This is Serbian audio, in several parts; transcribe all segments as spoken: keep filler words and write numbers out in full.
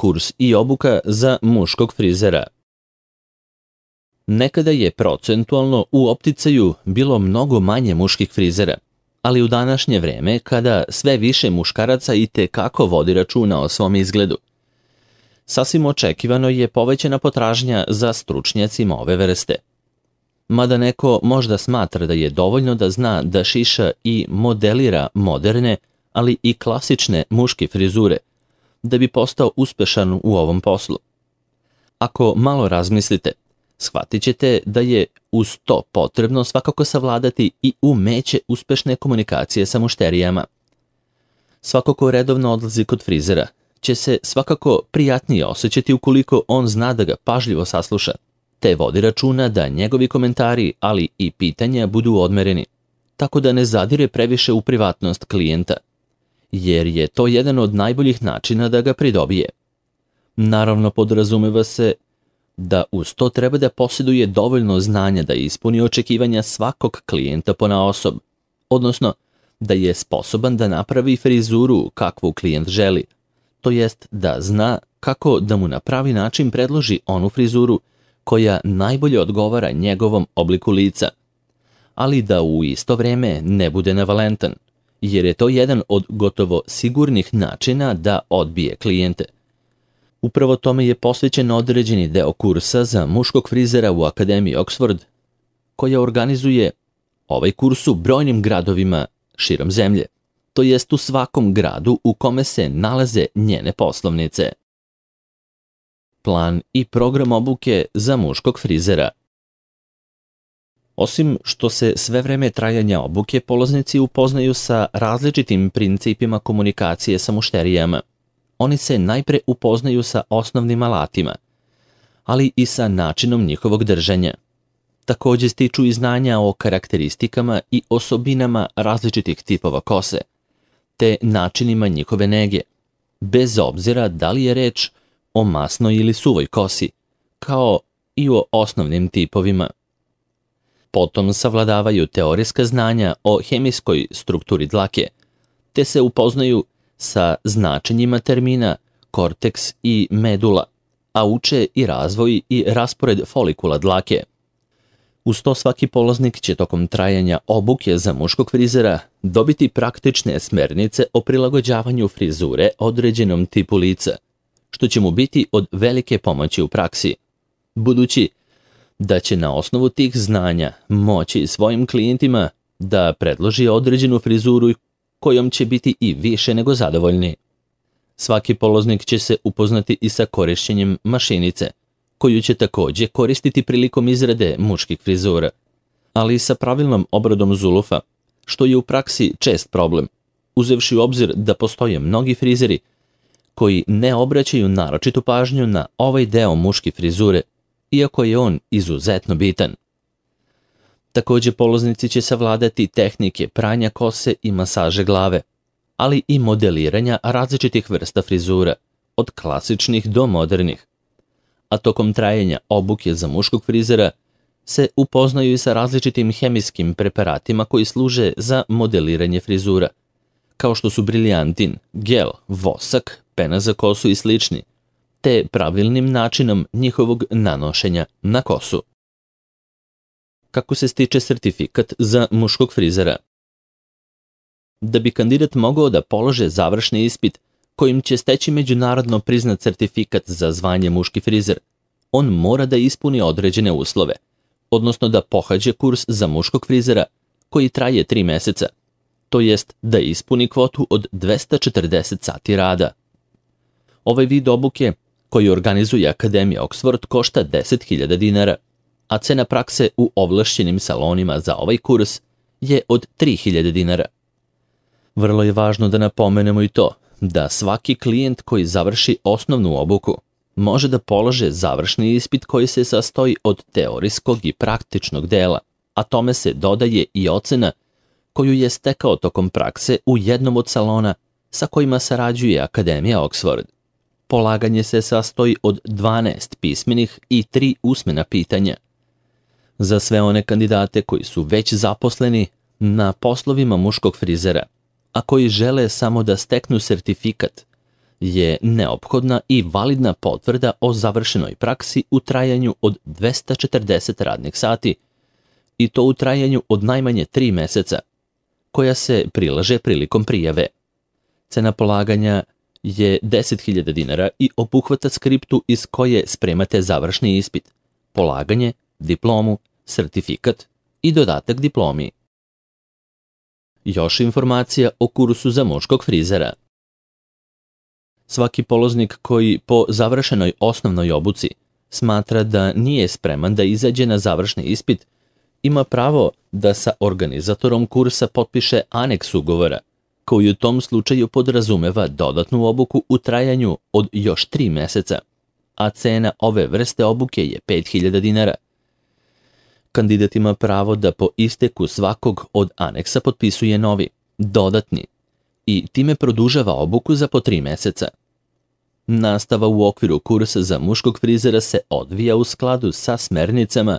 kurs i obuka za muškog frizera. Nekada je procentualno u opticaju bilo mnogo manje muških frizera, ali u današnje vreme, kada sve više muškaraca i te kako vodi računa o svom izgledu, sasvim očekivano je povećana potražnja za stručnjacima ove vrste. Mada neko možda smatra da je dovoljno da zna da šiša i modelira moderne, ali i klasične muške frizure, da bi postao uspešan u ovom poslu. Ako malo razmislite, shvatit ćete da je uz to potrebno svakako savladati i umeće uspešne komunikacije sa mušterijama. Svako ko redovno odlazi kod frizera će se svakako prijatnije osjećati ukoliko on zna da ga pažljivo sasluša, te vodi računa da njegovi komentari, ali i pitanja budu odmereni, tako da ne zadire previše u privatnost klijenta, jer je to jedan od najboljih načina da ga pridobije. Naravno, podrazumeva se da uz to treba da posjeduje dovoljno znanja da ispuni očekivanja svakog klijenta ponaosob, odnosno da je sposoban da napravi frizuru kakvu klijent želi, to jest da zna kako da mu na pravi način predloži onu frizuru koja najbolje odgovara njegovom obliku lica, ali da u isto vreme ne bude nevalentan, jer je to jedan od gotovo sigurnih načina da odbije klijente. Upravo tome je posvećen određeni deo kursa za muškog frizera u Akademiji Oxford, koja organizuje ovaj kurs u brojnim gradovima širom zemlje, to jest u svakom gradu u kome se nalaze njene poslovnice. Plan i program obuke za muškog frizera. Osim što se sve vreme trajanja obuke polaznici upoznaju sa različitim principima komunikacije sa mušterijama, oni se najpre upoznaju sa osnovnim alatima, ali i sa načinom njihovog držanja. Također stiču i znanja o karakteristikama i osobinama različitih tipova kose, te načinima njihove nege, bez obzira da li je reč o masnoj ili suvoj kosi, kao i o osnovnim tipovima. Potom savladavaju teorijska znanja o hemijskoj strukturi dlake, te se upoznaju sa značenjima termina korteks i medula, a uče i razvoj i raspored folikula dlake. Uz to svaki polaznik će tokom trajanja obuke za muškog frizera dobiti praktične smernice o prilagođavanju frizure određenom tipu lica, što će mu biti od velike pomoći u praksi, budući da će na osnovu tih znanja moći svojim klijentima da predloži određenu frizuru kojom će biti i više nego zadovoljni. Svaki polaznik će se upoznati i sa korišćenjem mašinice, koju će također koristiti prilikom izrade muških frizura, ali i sa pravilnom obradom zulufa, što je u praksi čest problem, uzevši u obzir da postoje mnogi frizeri koji ne obraćaju naročitu pažnju na ovaj deo muške frizure, iako je on izuzetno bitan. Također polaznici će savladati tehnike pranja kose i masaže glave, ali i modeliranja različitih vrsta frizura, od klasičnih do modernih. A tokom trajanja obuke za muškog frizera se upoznaju i sa različitim hemijskim preparatima koji služe za modeliranje frizura, kao što su briljantin, gel, vosak, pena za kosu i slični, te pravilnim načinom njihovog nanošenja na kosu. Kako se stiče sertifikat za muškog frizera? Da bi kandidat mogao da polože završni ispit kojim će steći međunarodno priznat sertifikat za zvanje muški frizer, on mora da ispuni određene uslove, odnosno da pohađe kurs za muškog frizera koji traje tri meseca, to jest da ispuni kvotu od dvesta četrdeset sati rada. Ovaj vid obuke koji organizuje Akademija Oxford košta deset hiljada dinara, a cena prakse u ovlašćenim salonima za ovaj kurs je od tri hiljade dinara. Vrlo je važno da napomenemo i to da svaki klijent koji završi osnovnu obuku može da polože završni ispit koji se sastoji od teorijskog i praktičnog dela, a tome se dodaje i ocena koju je stekao tokom prakse u jednom od salona sa kojima sarađuje Akademija Oxford. Polaganje se sastoji od dvanaest pismenih i tri usmena pitanja. Za sve one kandidate koji su već zaposleni na poslovima muškog frizera, a koji žele samo da steknu sertifikat, je neophodna i validna potvrda o završenoj praksi u trajanju od dvesta četrdeset radnih sati i to u trajanju od najmanje tri meseca, koja se prilaže prilikom prijave. Cena polaganja je deset hiljada dinara i obuhvata skriptu iz koje spremate završni ispit, polaganje, diplomu, sertifikat i dodatak diplomi. Još informacija o kursu za muškog frizera. Svaki polaznik koji po završenoj osnovnoj obuci smatra da nije spreman da izađe na završni ispit, ima pravo da sa organizatorom kursa potpiše aneks ugovora, koji u tom slučaju podrazumeva dodatnu obuku u trajanju od još tri meseca, a cena ove vrste obuke je pet hiljada dinara. Kandidat ima pravo da po isteku svakog od aneksa potpisuje novi, dodatni, i time produžava obuku za po tri meseca. Nastava u okviru kursa za muškog frizera se odvija u skladu sa smernicama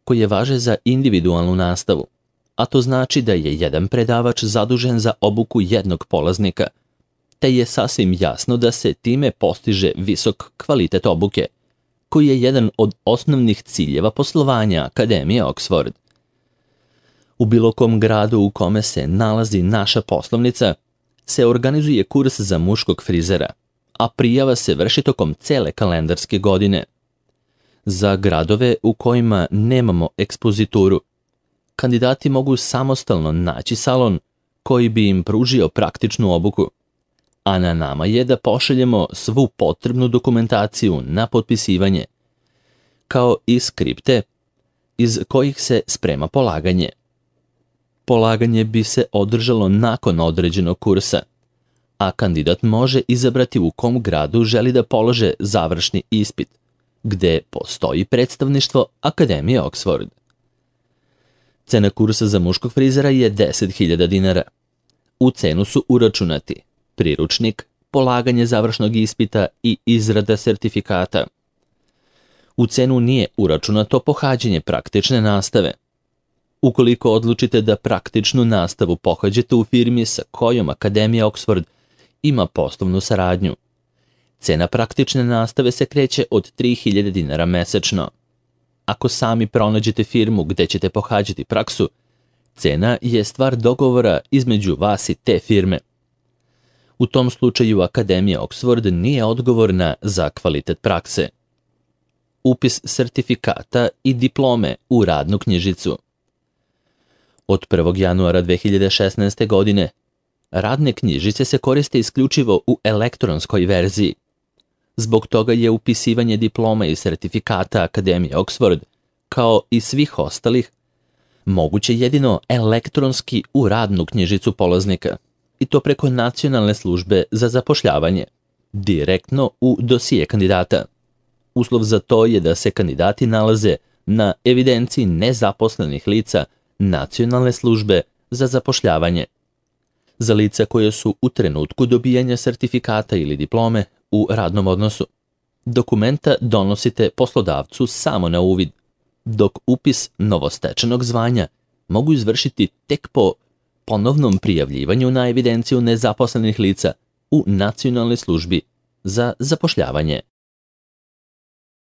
koje važe za individualnu nastavu, a to znači da je jedan predavač zadužen za obuku jednog polaznika, te je sasvim jasno da se time postiže visok kvalitet obuke, koji je jedan od osnovnih ciljeva poslovanja Akademije Oxford. U bilo kom gradu u kome se nalazi naša poslovnica se organizuje kurs za muškog frizera, a prijava se vrši tokom cele kalendarske godine. Za gradove u kojima nemamo ekspozituru, kandidati mogu samostalno naći salon koji bi im pružio praktičnu obuku, a na nama je da pošaljemo svu potrebnu dokumentaciju na potpisivanje, kao i skripte iz kojih se sprema polaganje. Polaganje bi se održalo nakon određenog kursa, a kandidat može izabrati u kom gradu želi da polože završni ispit, gde postoji predstavništvo Akademije Oxford. Cena kursa za muškog frizera je deset hiljada dinara. U cenu su uračunati priručnik, polaganje završnog ispita i izrada sertifikata. U cenu nije uračunato pohađanje praktične nastave. Ukoliko odlučite da praktičnu nastavu pohađate u firmi sa kojom Akademija Oxford ima poslovnu saradnju, cena praktične nastave se kreće od tri hiljade dinara mesečno. Ako sami pronađete firmu gde ćete pohađati praksu, cena je stvar dogovora između vas i te firme. U tom slučaju Akademija Oxford nije odgovorna za kvalitet prakse. Upis sertifikata i diplome u radnu knjižicu. Od prvog januara dve hiljade šesnaeste. godine radne knjižice se koriste isključivo u elektronskoj verziji. Zbog toga je upisivanje diploma i sertifikata Akademije Oxford, kao i svih ostalih, moguće jedino elektronski u radnu knjižicu polaznika, i to preko Nacionalne službe za zapošljavanje, direktno u dosije kandidata. Uslov za to je da se kandidati nalaze na evidenciji nezaposlenih lica Nacionalne službe za zapošljavanje. Za lica koje su u trenutku dobijanja sertifikata ili diplome u radnom odnosu, dokumenta donosite poslodavcu samo na uvid, dok upis novostečenog zvanja mogu izvršiti tek po ponovnom prijavljivanju na evidenciju nezaposlenih lica u Nacionalnoj službi za zapošljavanje.